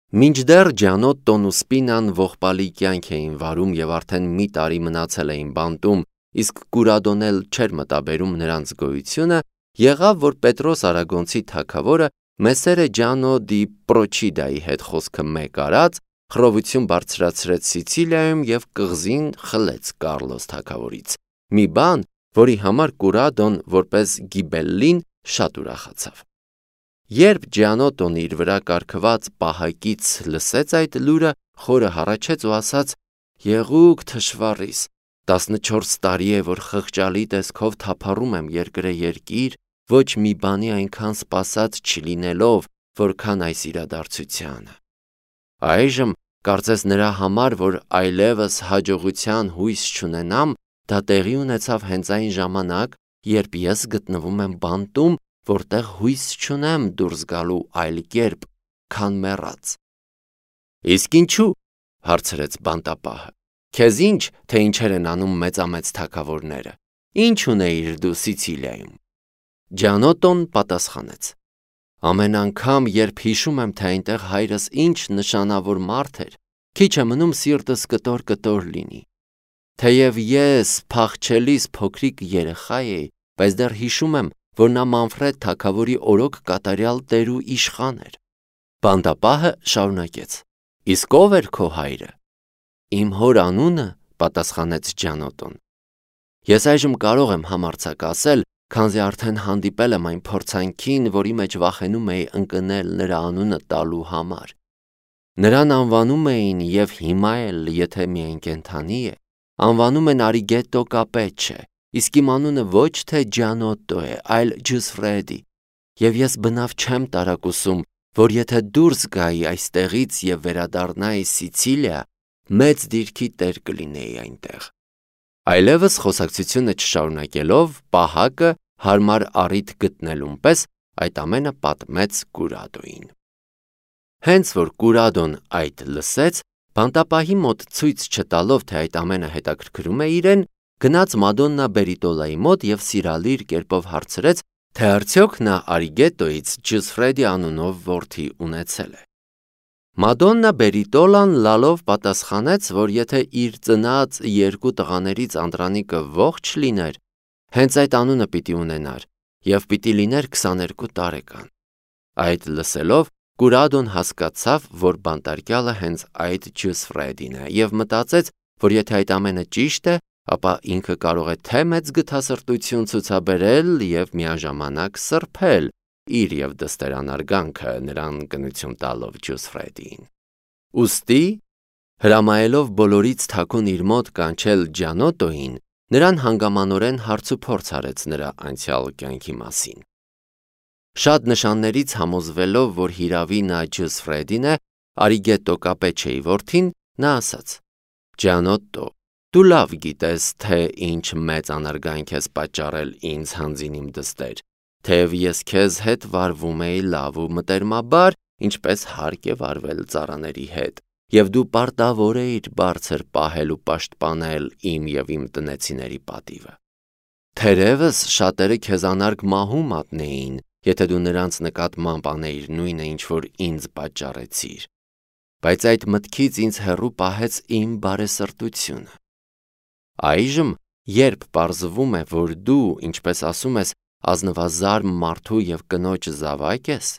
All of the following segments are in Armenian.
Մինչդեռ Ջանոտտոն ու Սպինան ողբալի կյանք էին վարում և արդեն մի տարի մնացել էին բանտում, իսկ Կուրադոն էլ չէր մտաբերում նրանց գոյությունը, եղավ, որ Պետրոս Արագոնցի թագավորը Մեսերը Ջանո դի Պրոչիդայի հետ խոսքը մեկ արած, խռովություն բարձրացրեց Սիցիլիայում և կղզին խլեց Կարլոս թագավորից, մի բան, որի համար Կուրադոն որպես Գիբելլին շատ ուրախացավ։ Երբ Ջանոտտոն իր վրա կարգված պահակից լսեց այդ լուրը, խորը հառաչեց ու ասաց. «Եղուկ թշվառիս, 14 տարի է, որ խղճալի տեսքով թափառում եմ երկրե երկիր, ոչ մի բանի այնքան սպասած չլինելով, որքան այս իրադարձությանը։ Այժմ կարծես նրա համար, որ այլևս հաջողության հույս չունենամ, դա տեղի ունեցավ հենց այն ժամանակ, երբ ես գտնվում եմ բանտում, որտեղ հույս չունեմ դուրս գալու այլ կերպ, քան մեռած»։ «Իսկ ինչու՞, հարցրեց բանտապահը, քեզ ինչ, թե ինչեր են անում մեծամեծ թագավորները, ինչ ունեիր դու Սիցիլիայում»։ Ջանոտտոն պատասխանեց. «Ամեն անգամ, երբ հիշում եմ, թե այնտեղ հայրս ինչ նշանավոր մարդ էր, քիչ է մնում սիրտս կտոր լինի։ Թեև ես փախչելիս փոքրիկ երեխա էի, բայց դեռ հիշում եմ, որ նա Մանֆրեդ թագավորի օրոք կատարյալ տեր ու իշխան էր»։ Բանտապահը շարունակեց. «Իսկ ով էր քո հայրը»։ «Իմ հոր անունը», պատասխանեց Ջանոտտոն։ «Ես այժմ կարող եմ համարձակ ասել, քանզի արդեն հանդիպել եմ այն փորձանքին, որի մեջ վախենում էի ընկնել նրա անունը տալու համար։ Նրան անվանում էին և հիմա էլ, եթե միայն կենդանի է, անվանում են Արիգետտո Կապեչչե, իսկ իմ անունը ոչ թե Ջանոտտո է, այլ Ջուսֆրեդի, և ես բնավ չեմ տարակուսում, որ եթե դուրս գայի այստեղից և վերադառնայի Սիցիլիա, մեծ դիրքի տեր կլինեի այնտեղ»։ Այլևս խոսակցությունը չշարունակելով, պահակը հարմար առիթ գտնելուն պես այդ ամենը պատմեց Կուրադոյին։ Հենց որ Կուրադոն այդ լսեց, բանտապահի մոտ ցույց չտալով, թե այդ ամենը հետաքրքրում է իրեն, գնաց Մադոննա Բերիտոլայի մոտ և սիրալիր կերպով հարցրեց, թե արդյոք նա Արիգետտոյից Ջուսֆրեդի անունով որդի ունեցել է։ Մադոննա Բերիտոլան լալով պատասխանեց, որ եթե իր ծնած երկու տղաներից անդրանիկը ողջ լիներ, հենց այդ անունը պիտի ունենար և պիտի լիներ 22 տարեկան։ Այդ լսելով, Կուրադոն հասկացավ, որ բանտարկյալը հենց այդ Ջուսֆրեդին է և մտածեց, որ եթե այդ ամենը ճիշտ է, ապա ինքը կարող է թե մեծ գթասրտություն ցուցաբերել և միաժամանակ սրբել իր և դստեր անարգանքը նրան կնություն տալով Ջուսֆրեդին։ Ուստի, հրամայելով բոլորից թաքուն իր մոտ կանչել Ջանոտտոյին, նրան հանգամանորեն հարցուփորձ արեց նրա անցյալ կյանքի մասին։ Շատ նշաններից համոզվելով, որ հիրավի նա Ջուսֆրեդին է, Արիգետտո Կապեչչեի որդին, նա ասաց. «Ջանոտտո, դու լավ գիտես, թե ինչ մեծ անարգանք ես պատճառել ինձ հանձին իմ դստեր, թեև ես քեզ հետ վարվում էի լավ ու մտերմաբար, ինչպես հարկ է վարվել ծառաների հետ, և դու պարտավոր էիր բարձր պահել ու պաշտպանել իմ և իմ տնեցիների պատիվը։ Թերևս շատերը քեզ անարգ մահու մատնեին, եթե դու նրանց նկատմամբ անեիր նույնը, ինչ որ ինձ պատճառեցիր, բայց այդ մտքից ինձ հեռու պահեց իմ բարեսրտությունը։ Այժմ, երբ պարզվում է, որ դու, ինչպես ասում ես, ազնվազարմ մարդու և կնոջ զավակ ես,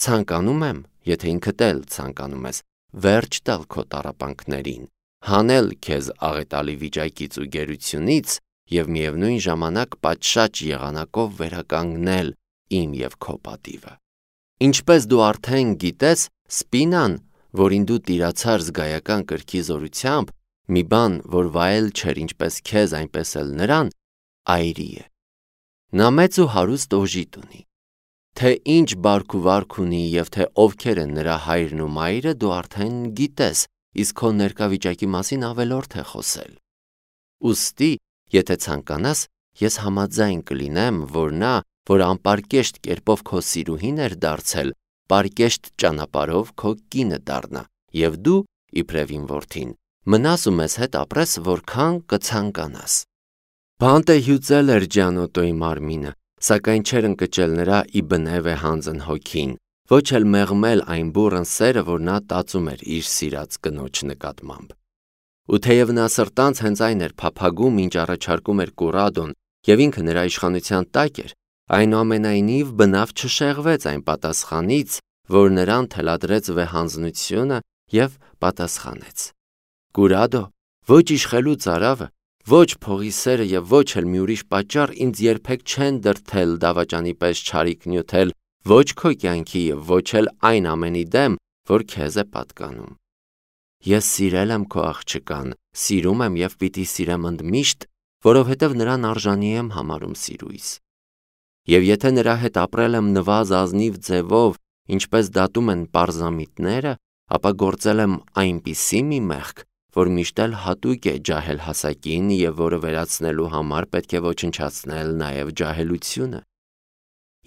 ցանկանում եմ, եթե ինքդ էլ ցանկանում ես, վերջ տալ քո տառապանքներին, հանել քեզ աղետալի վիճակից ու գերությունից և միևնույն ժամանակ պատշաճ եղանակով վերականգնել իմ և քո պատիվը։ Ինչպես դու արդեն գիտես, Սպինան, որին դու տիրացար զգայական կրքի զորությամբ, մի բան, որ վայել չէր ինչպես քեզ, այնպես էլ նրան, այրի է։ Նա մեծ ու հարուստ օժիտ ունի։ Թե ինչ բարք ու վարք ունի և թե ովքեր են նրա հայրն ու մայրը, դու արդեն գիտես, իսկ քո ներկա վիճակի մասին ավելորդ է խոսել։ Ուստի, եթե ցանկանաս, ես համաձայն կլինեմ, որ նա, որ անպարկեշտ կերպով քո սիրուհին էր դարձել, պարկեշտ ճանապարհով քո կինը դառնա, և դու, իբրև իմ որդին, մնաս ու մեզ հետ ապրես, որքան կցանկանաս։ Բանտը հյուծել էր Ջանոտտոյի մարմինը, սակայն չէր ընկճել նրա ի բնև է հանձն հոգին, ոչ էլ մեղմել այն բուռն սերը, որ նա տածում էր իր սիրած կնոջ նկատմամբ։ Ու թեև նա սրտանց հենց այն էր փափագում, ինչ առաջարկում էր Կուրադոն, եւ ինքը նրա իշխանության տակ էր, այնուամենայնիվ բնավ չշեղվեց այն պատասխանից, որ նրան թելադրեց վեհանձնությունը եւ պատասխանեց. Կուրադո, ոչ իշխելու ծարավը, ոչ փողի սերը եւ ոչ էլ մի ուրիշ պատճառ ինձ երբեք չեն դրդել դավաճանի պես չարիք նյութել ոչ քո կյանքի եւ ոչ էլ այն ամենի դեմ, որ քեզ է պատկանում։ Ես սիրել եմ քո աղջկան, սիրում եմ եւ պիտի սիրեմ ընդմիշտ, որովհետեւ նրան արժանի եմ համարում սիրույս։ Եվ եթե նրա հետ ապրել եմ նվազ ազնիվ ձևով, ինչպես դատում են պարզամիտները, ապա գործել եմ այնպիսի մի մեղք, որ միշտ էլ հատուկ է ջահել հասակին եւ որը վերացնելու համար պետք է ոչնչացնել նաեւ ջահելությունը։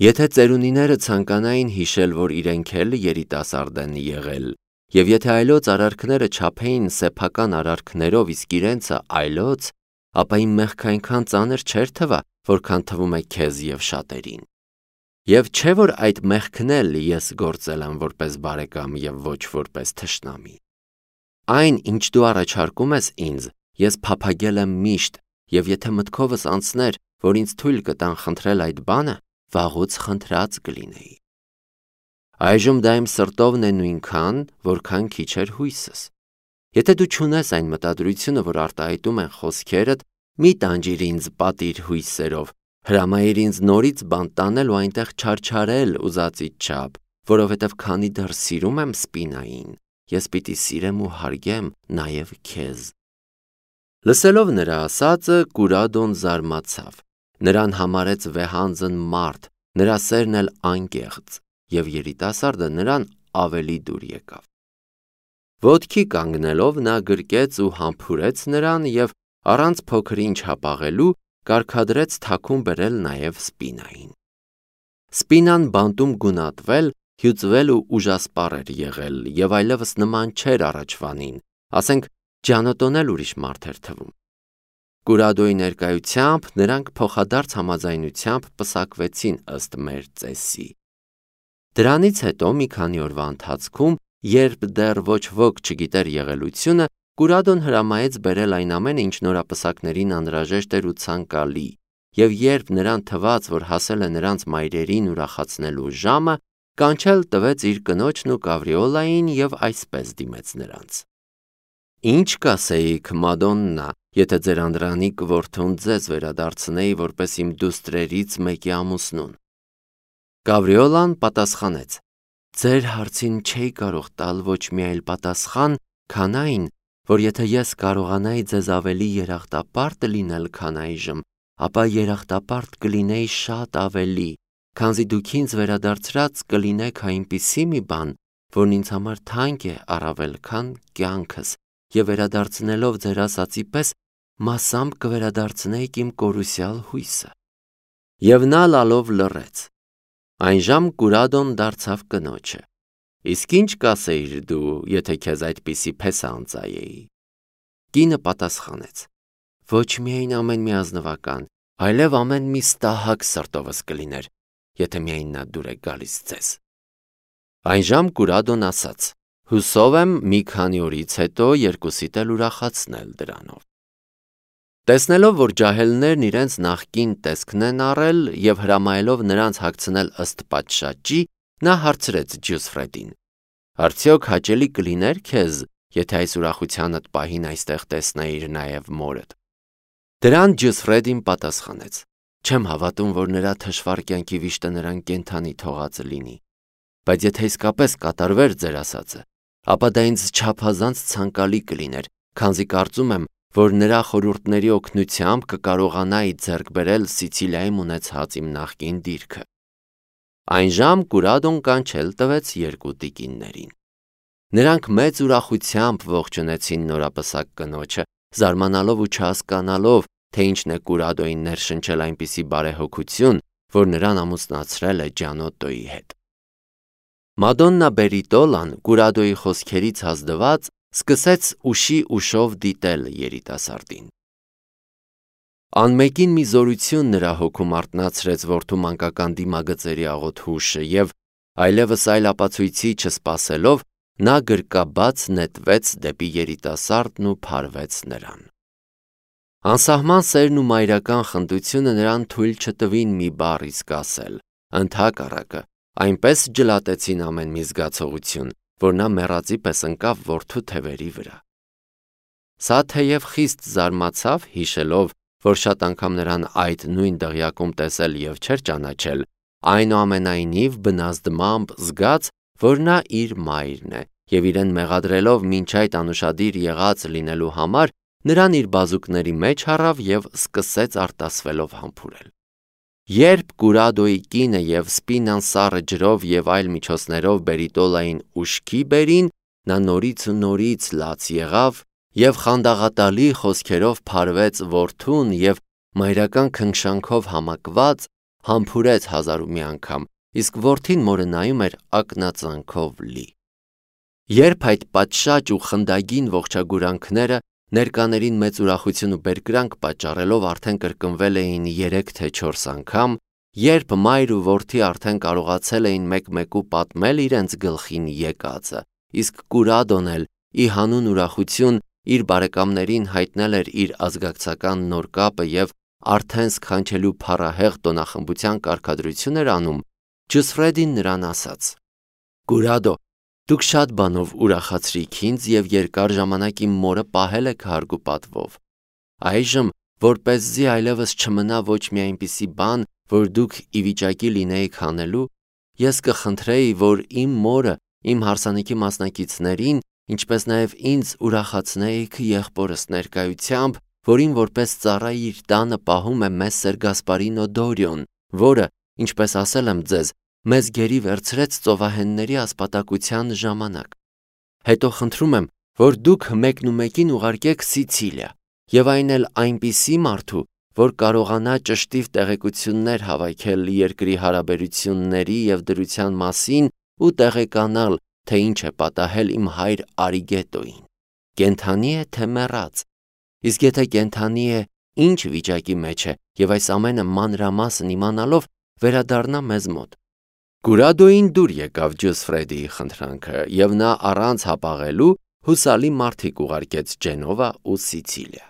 Եթե ծերունիները ցանկանային հիշել, որ իրենք էլ երիտասարդ են եղել, եւ եթե այլոց արարքները չափեին սեփական արարքներով, իսկ իրենցը այլոց, ապա իմ մեղքը այնքան ծանր չէր թվա, որքան թվում է քեզ եւ շատերին։ Եվ չէ՞ որ այդ մեղքն էլ ես գործել եմ որպես բարեկամ եւ ոչ որպես թշնամի։ Այն, ինչ դու առաջարկում ես ինձ, ես փափագել եմ միշտ, եւ եթե մտքովս անցներ, որ ինձ թույլ կտան խնդրել այդ բանը, վաղուց խնդրած կլինեի։ Այժմ դա իմ սրտովն է նույնքան, որքան քիչ էր հույսս։ Եթե դու չունես այն մտադրությունը, որ արտահայտում են խոսքերդ, մի տանջիր ինձ պատիր հույսերով, հրամայիր ինձ նորից բան տանել ու այնտեղ չարչարել ուզածիդ չափ, որովհետև քանի դեռ սիրում եմ Սպինային, ես պիտի սիրեմ ու հարգեմ նաև քեզ։ Լսելով նրա ասածը, Կուրադոն զարմացավ, նրան համարեց վեհանձն մարդ, նրա սերն էլ անկեղծ, եւ երիտասարդը նրան ավելի դուր եկավ։ Ոտքի կանգնելով նա գրկեց ու համբուրեց նրան եւ առանց փոքր ինչ հապաղելու կարգադրեց թաքուն բերել նաև Սպինային։ Սպինան բանտում գունատվել, հյուծվել ու ուժասպառ էր եղել եւ այլևս նման չէր առաջվանին, ասենք ջանոտոնել ուրիշ մարդ էր թվում։ Կուրադոյի ներկայությամբ նրանք փոխադարձ համաձայնությամբ պսակվեցին ըստ մեր ծեսի։ Դրանից հետո մի քանի օրվա ընթացքում, երբ դեռ ոչ ոք չգիտեր եղելությունը, Կուրադոն հրամայեց բերել այն ամենը, ինչ նորապսակներին անհրաժեշտ էր ու ցանկալի, եւ երբ նրան թվաց, որ հասել է նրանց մայրերին ուրախացնելու ժամը, կանչել տվեց իր կնոջն ու Կավրիոլային եւ այսպես դիմեց նրանց. Ինչ կասեիք, Մադոննա, եթե ձեր անդրանիկ որդուն ձեզ վերադարձնեի որպես իմ դուստրերից մեկի ամուսնուն։ Կավրիոլան պատասխանեց. Ձեր հարցին չէի կարող տալ ոչ մի այլ պատասխան, քան այն, որ եթե ես կարողանայի ձեզ ավելի երախտապարտ լինել, քան այժմ, ապա երախտապարտ կլինեի շատ ավելի, քանզի դուք ինձ վերադարձրած կլինեք այնպիսի մի բան, որն ինձ համար թանկ է առավել քան կյանքս, եւ վերադարձնելով ձեր ասածի պես մասամբ կվերադարձնեիք իմ կորուսյալ հույսը։ Եվ նա լալով լռեց։ Այնժամ Կուրադոն դարձավ կնոջը. Իսկ ինչ կասեիր դու, եթե քեզ այդպիսի փեսա անծայեի։ Կինը պատասխանեց. Ոչ միայն ամեն մի ազնվական, այլև ամեն մի ստահակ սրտովս կլիներ, եթե միայն նա դուր է գալիս ձեզ։ Այնժամ Կուրադոն ասաց. Հուսով եմ մի քանի օրից հետո երկուսիդ էլ ուրախացնել դրանով։ Տեսնելով, որ ջահելներն իրենց նախկին տեսքն են առել եւ հրամայելով նրանց հագցնել ըստ պատշաճի, նա հարցրեց Ջյուսֆրեդին. Արդյոք հաճելի կլիներ քեզ, եթե այս ուրախությանդ պահին այստեղ տեսնեիր նաև մորդ։ Դրան Ջյուսֆրեդին պատասխանեց. Չեմ հավատում, որ նրա թշվառ կյանքի վիշտը նրան կենթանի թողած լինի, բայց եթե իսկապես կատարվեր ձեր ասածը, ապա դա ինձ չափազանց ցանկալի կլիներ, քանզի կարծում եմ, որ նրա խորհուրդների օգնությամբ կկարողանայի ձեռք բերել Սիցիլիայում ունեցած իմ նախկին դիրքը։ Այնժամ Կուրադոն կանչել տվեց երկու տիկիններին։ Նրանք մեծ ուրախությամբ ողջունեցին նորապսակ կնոջը, զարմանալով ու չհասկանալով, թե ինչն է Կուրադոյին ներշնչել այնպիսի բարեհոգություն, որ նրան ամուսնացրել է Ջանոտոյի հետ։ Մադոննա Բերիտոլան Կուրադոյի խոսքերից հազդված սկսեց ուշի ուշով դիտել երիտասարդին։ Անմեկին մի զորություն նրա հոգում արթնացրեց որդու մանկական դիմագծերի աղոթ հուշը եւ Այլևս այլ ապացույցի չսպասելով, նա գրկաբաց նետվեց դեպի երիտասարդն ու փարվեց նրան։ Անսահման սերն ու մայրական խնդությունը նրան թույլ չտվին մի բառ իսկ ասել, ընդհակառակը, այնպես ջլատեցին ամեն մի զգացողություն, որ նա մեռածի պես ընկավ որդու թևերի վրա։ Սա թեև խիստ զարմացավ, հիշելով, որ շատ անգամ նրան այդ նույն դղյակում տեսել և չէր ճանաչել, այնուամենայնիվ բնազդմամբ զգաց, որ նա իր մայրն է, և իրեն մեղադրելով մինչ այդ անուշադիր եղած լինելու համար, նրան իր բազուկների մեջ առավ և սկսեց արտասվելով համբուրել։ Երբ Կուրադոյի կինը և Սպինան սառը ջրով և այլ միջոցներով Բերիտոլային ուշքի բերին, նա նորից ու նորից լաց եղավ և խանդաղատալի խոսքերով փարվեց որդուն և մայրական քնքշանքով համակված համբուրեց հազար ու մի անգամ, իսկ որդին մորը նայում էր ակնածանքով լի։ Երբ այդ պատշաճ ու խնդագին ողջագուրանքները ներկաներին մեծ ուրախություն ու բերկրանք պատճառելով արդեն կրկնվել էին 3 թե 4 անգամ, երբ մայր ու որդի արդեն կարողացել էին մեկ-մեկու պատմել իրենց գլխին եկածը, իսկ Կուրադոն էլ ի հանուն ուրախություն իր բարեկամներին հայտնել էր իր ազգակցական նոր կապը և արդեն սքանչելու փառահեղ տոնախմբության կարգադրություն էր անում, Ջոսֆրեդին նրան ասաց. «Կուրադո, դուք շատ բանով ուրախացրիք ինձ և երկար ժամանակ իմ մորը պահել եք հարգ ու պատվով։ Այժմ, որպեսզի այլևս չմնա ոչ մի այնպիսի բան, որ դուք ի վիճակի լինեիք անելու, ես կխնդրեի, որ իմ մորը, իմ հարսանիքի մասնակիցներին, ինչպես նաև ինձ ուրախացնեիք եղբորս ներկայությամբ, որին որպես ծառա իր տանը պահում է Մեսսեր Գասպարինո Դորիոն, որը, ինչպես ասել եմ ձեզ, մեզ գերի վերցրեց ծովահենների ասպատակության ժամանակ։ Հետո խնդրում եմ, որ դուք մեկնումեկին ուղարկեք Սիցիլիա, և այն էլ այնպիսի մարդու, որ կարողանա ճշտիվ տեղեկություններ հավաքել երկրի հարաբերությունների և դրության մասին ու տեղեկանալ, թե ինչ է պատահել իմ հայր Արիգետոյին, կենդանի է թե մեռած, իսկ եթե կենդանի է, ինչ վիճակի մեջ է, և այս ամենը մանրամասն իմանալով վերադառնա մեզ մոտ»։ Կուրադոյին դուր եկավ Ջոսֆրեդիի խնդրանքը, և նա առանց հապաղելու հուսալի մարդիկ ուղարկեց Ջենովա ու Սիցիլիա։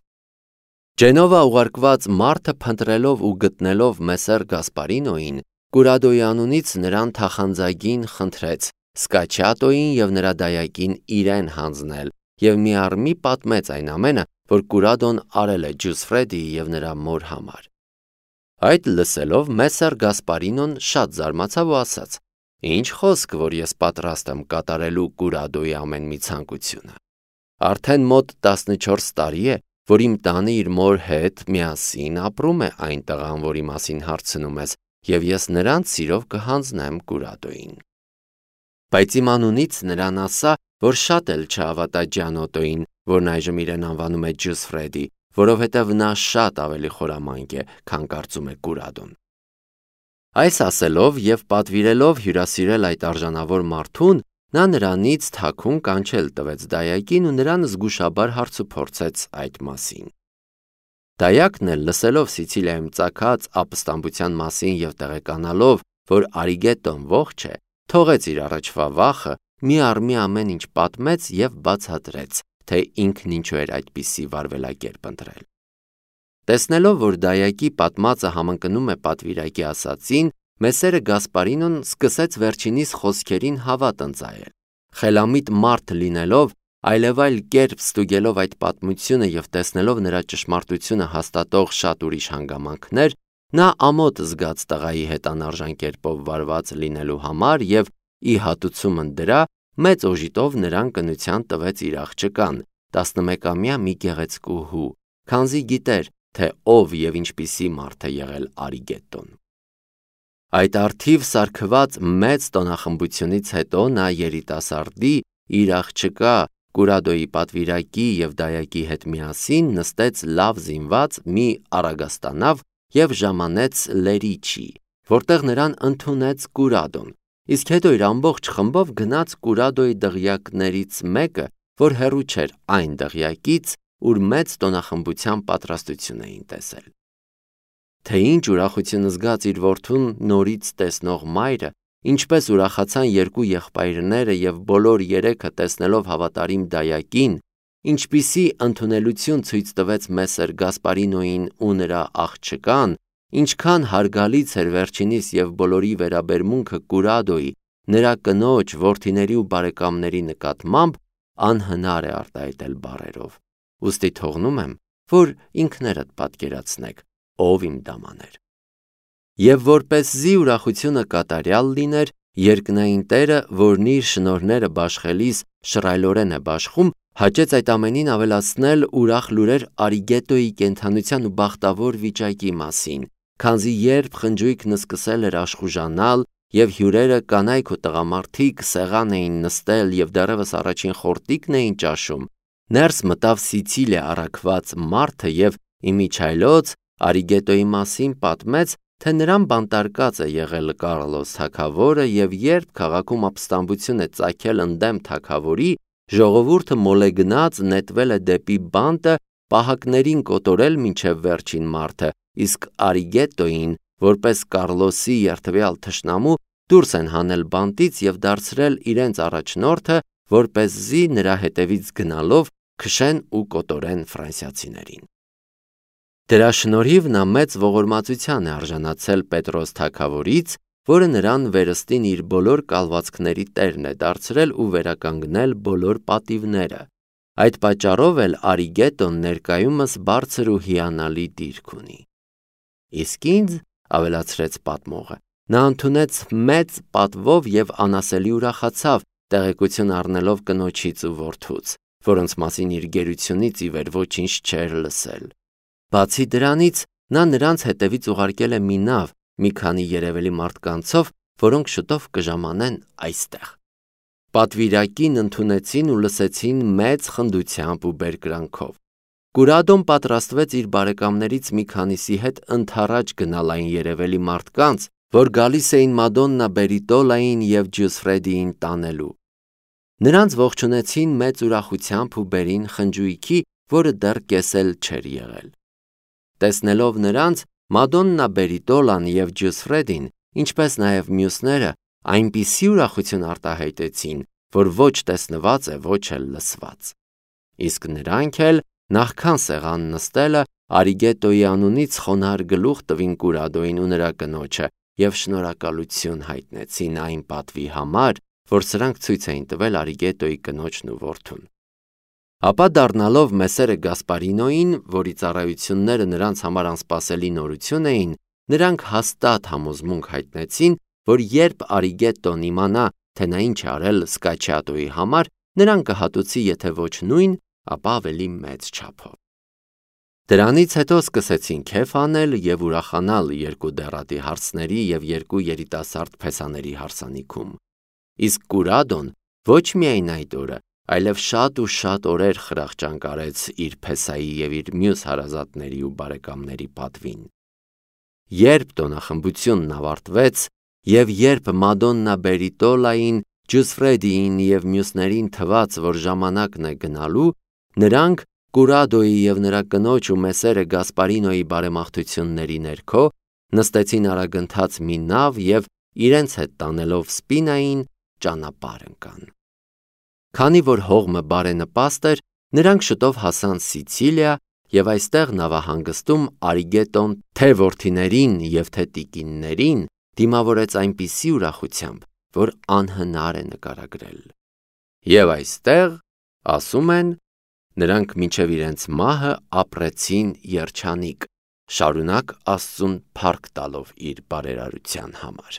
Ջենովա ուղարկված մարդը փնտրելով ու գտնելով Մեսսեր Գասպարինոյին, Կուրադոյի անունից նրան թախանձագին խնդրեց Սկաչիատոյին և նրա դայակին իրեն հանձնել և միառմի պատմեց այն ամենը, որ Կուրադոն արել է Ջոսֆրեդիի և նրա մոր համար։ Այդ լսելով Մեսսեր Գասպարինոն շատ զարմացավ ու ասաց. «Ինչ խոսք, որ ես պատրաստ եմ կատարելու Կուրադոյի ամեն մի ցանկությունը։ Արդեն մոտ 14 տարի է, որ իմ տանը իր մոր հետ միասին ապրում է այն տղան, որի մասին հարցնում ես, և ես նրան սիրով կհանձնեմ Կուրադոյին»։ Բայց իմ անունից նրան ասա, որ շատ էլ չհավատա Ջանոտոյին, որն այժմ իրեն անվանում է Ջոսֆրեդի, որովհետև նա շատ ավելի խորամանկ է, քան կարծում է Կուրադոն։ Այս ասելով և պատվիրելով հյուրասիրել այդ արժանավոր մարդուն, նա նրանից թաքուն կանչել տվեց դայակին ու նրան զգուշաբար հարցուփորձեց այդ մասին։ Դայակն էլ լսելով Սիցիլիայում ծագած ապստամբության մասին և տեղեկանալով, որ Արիգետոն ողջ է, թողեց իր առաջվա վախը, միառմի ամեն ինչ պատմեց և բացատրեց, թե ինքն ինչու էր այդպիսի վարվելակերպ ընտրել։ Տեսնելով, որ դայակի պատմածը համընկնում է պատվիրակի ասածին, Մեսսերը Գասպարինոն սկսեց վերջինիս խոսքերին հավատ ընծայել։ Խելամիտ մարդ լինելով, այլևայլ կերպ ստուգելով այդ պատմությունը և տեսնելով նրա ճշմարտությունը հաստատող շատ ուրիշ հանգամանքներ, նա ամոթ զգաց տղայի հետ անարժան կերպով վարված լինելու համար և ի հատուցումն դրա մեծ օժիտով նրան կնության տվեց իր աղջկան, 11-ամյա մի գեղեցկու հու, քանզի գիտեր, թե ով և ինչպիսի մարդ է եղել Արիգետոն։ Այդ առթիվ սարքված մեծ տոնախմբությունից հետո նա երիտասարդի, իր աղջկա Կուրադոյի պատվիրակի և դայակի հետ միասին նստեց լավ զինված մի առագաստանավ և ժամանեց Լերիչի, որտեղ նրան ընդունեց Կուրադոն, իսկ հետո իր ամբողջ խմբով գնաց Կուրադոյի դղյակներից մեկը, որ հեռու չէր այն դղյակից, ուր մեծ տոնախմբության պատրաստություն էին տեսել։ Թե ինչ ուրախություն զգաց իր որդուն նորից տեսնող մայրը, ինչպես ուրախացան երկու եղբայրները և բոլոր երեքը տեսնելով հավատարիմ դայակին, ինչպիսի ընդունելություն ցույց տվեց Մեսեր Գասպարինոին ու նրա աղջկան, ինչքան հարգալից էր վերջինիս և բոլորի վերաբերմունքը Կուրադոյի, նրա կնոջ, որդիների ու բարեկամների նկատմամբ, անհնար է արտահայտել բառերով։ Ուստի թողնում եմ, որ ինքներդ պատկերացնեք, ով իմ դաման էր։ Եվ որպեսզի ուրախությունը կատարյալ լիներ, երկնային Տերը, որն իր շնորհները բաշխելիս շռայլորեն է բաշխում, հաճեց այդ ամենին ավելացնել ուրախ լուրեր Արիգետոյի կենդանության ու բախտավոր վիճակի մասին, քանզի երբ խնջույքն սկսել էր աշխուժանալ և հյուրերը կանայք ու տղամարդիկ սեղան էին նստել և դեռևս առաջին խորտիկն էին ճաշում, ներս մտավ Սիցիլիա առաքված մարդը և իմիջիայլոց Արիգետոյի մասին պատմեց, թե նրան բանտարկած է եղել Կառլոս թագավորը և երբ քաղաքում ապստամբություն է ծագել ընդդեմ թագավորի, ժողովուրդը մոլեգնած նետվել է դեպի բանտը պահակներին կոտորել մինչև վերջին մարդը, իսկ Արիգետոյին, որպես Կառլոսի երդվյալ թշնամու, դուրս են հանել բանտից և դարձրել իրենց առաջնորդը, որպեսզի նրա հետևից գնալով քշեն ու կոտորեն ֆրանսիացիներին։ Դրա շնորհիվ նա մեծ ողորմածության է արժանացել Պետրոս թագավորից, որը նրան վերստին իր բոլոր կալվածքների տերն է դարձրել ու վերականգնել բոլոր պատիվները։ Այդ պատճառով էլ Արիգետոն ներկայումս բարձր ու հիանալի դիրք ունի։ Իսկ ինձ, ավելացրեց պատմողը, նա ընդունեց մեծ պատվով և անասելի ուրախացավ, տեղեկություն առնելով կնոջից ու որդուց, որոնց մասին իր գերությունից ի վեր ոչինչ չէր լսել։ Բացի դրանից, նա նրանց հետևից ուղարկել է մի նավ մի քանի երևելի մարդկանցով, որոնք շուտով կժամանեն այստեղ։ Պատվիրակին ընդունեցին ու լսեցին մեծ խնդությամբ ու բերկրանքով։ Կուրադոն պատրաստվեց իր բարեկամներից մի քանիսի հետ ընդառաջ գնալ այն երևելի մարդկանց, որ գալիս էին Մադոննա Բերիտոլային և Ջուսֆրեդիին տանելու։ Նրանց ողջունեցին մեծ ուրախությամբ ու բերին խնջույքի, որը դեռ կեսել չէր եղել։ Տեսնելով նրանց, Մադոննա Բերիտոլան և Ջուսֆրեդին, ինչպես նաև մյուսները, այնպիսի ուրախություն արտահայտեցին, որ ոչ տեսնված է, ոչ էլ լսված։ Իսկ նրանք էլ, նախքան սեղան նստելը, Արիգետոյի անունից խոնարհ գլուխ տվին Կուրադոյին ու նրա կնոջը և շնորհակալություն հայտնեցին այն պատվի համար, որ սրանք ցույց էին տվել Արիգետոյի կնոջն ու որդուն։ Ապա դառնալով Մեսերը Գասպարինոյին, որի ծառայությունները նրանց համար անսպասելի նորություն էին, նրանք հաստատ համոզմունք հայտնեցին, որ երբ Արիգետոն իմանա, թե նա ինչ է արել Սկաչիատոյի համար, նրան կհատուցի եթե ոչ նույն, ապա ավելի մեծ չափով։ Դրանից հետո սկսեցին քեֆ անել և ուրախանալ երկու դեռատի հարցների և երկու երիտասարդ փեսաների հարսանիքում։ Իսկ Կուրադոն ոչ միայն այդ օրը, այլև շատ ու շատ օրեր խրախճանք արեց իր փեսայի և իր մյուս հարազատների ու բարեկամների պատվին։ Երբ տոնախմբությունն ավարտվեց և երբ Մադոննա Բերիտոլային, Ջուսֆրեդիին և մյուսներին թվաց, որ ժամանակն է գնալու, նրանք Կուրադոյի և նրա կնոջ ու Մեսերը Գասպարինոյի բարեմաղթությունների ներքո նստեցին արագընթաց մի նավ և իրենց հետ տանելով Սպինային ճանապարհ ընկան։ Քանի որ հողմը բարենպաստ էր, նրանք շուտով հասան Սիցիլիա և այստեղ նավահանգստում Արիգետոն թե որդիներին և թե տիկիններին դիմավորեց այնպիսի ուրախությամբ, որ անհնար է նկարագրել։ Եվ այստեղ, ասում են, նրանք մինչև իրենց մահը ապրեցին երջանիկ, շարունակ Աստծուն փառք տալով իր բարերարության համար։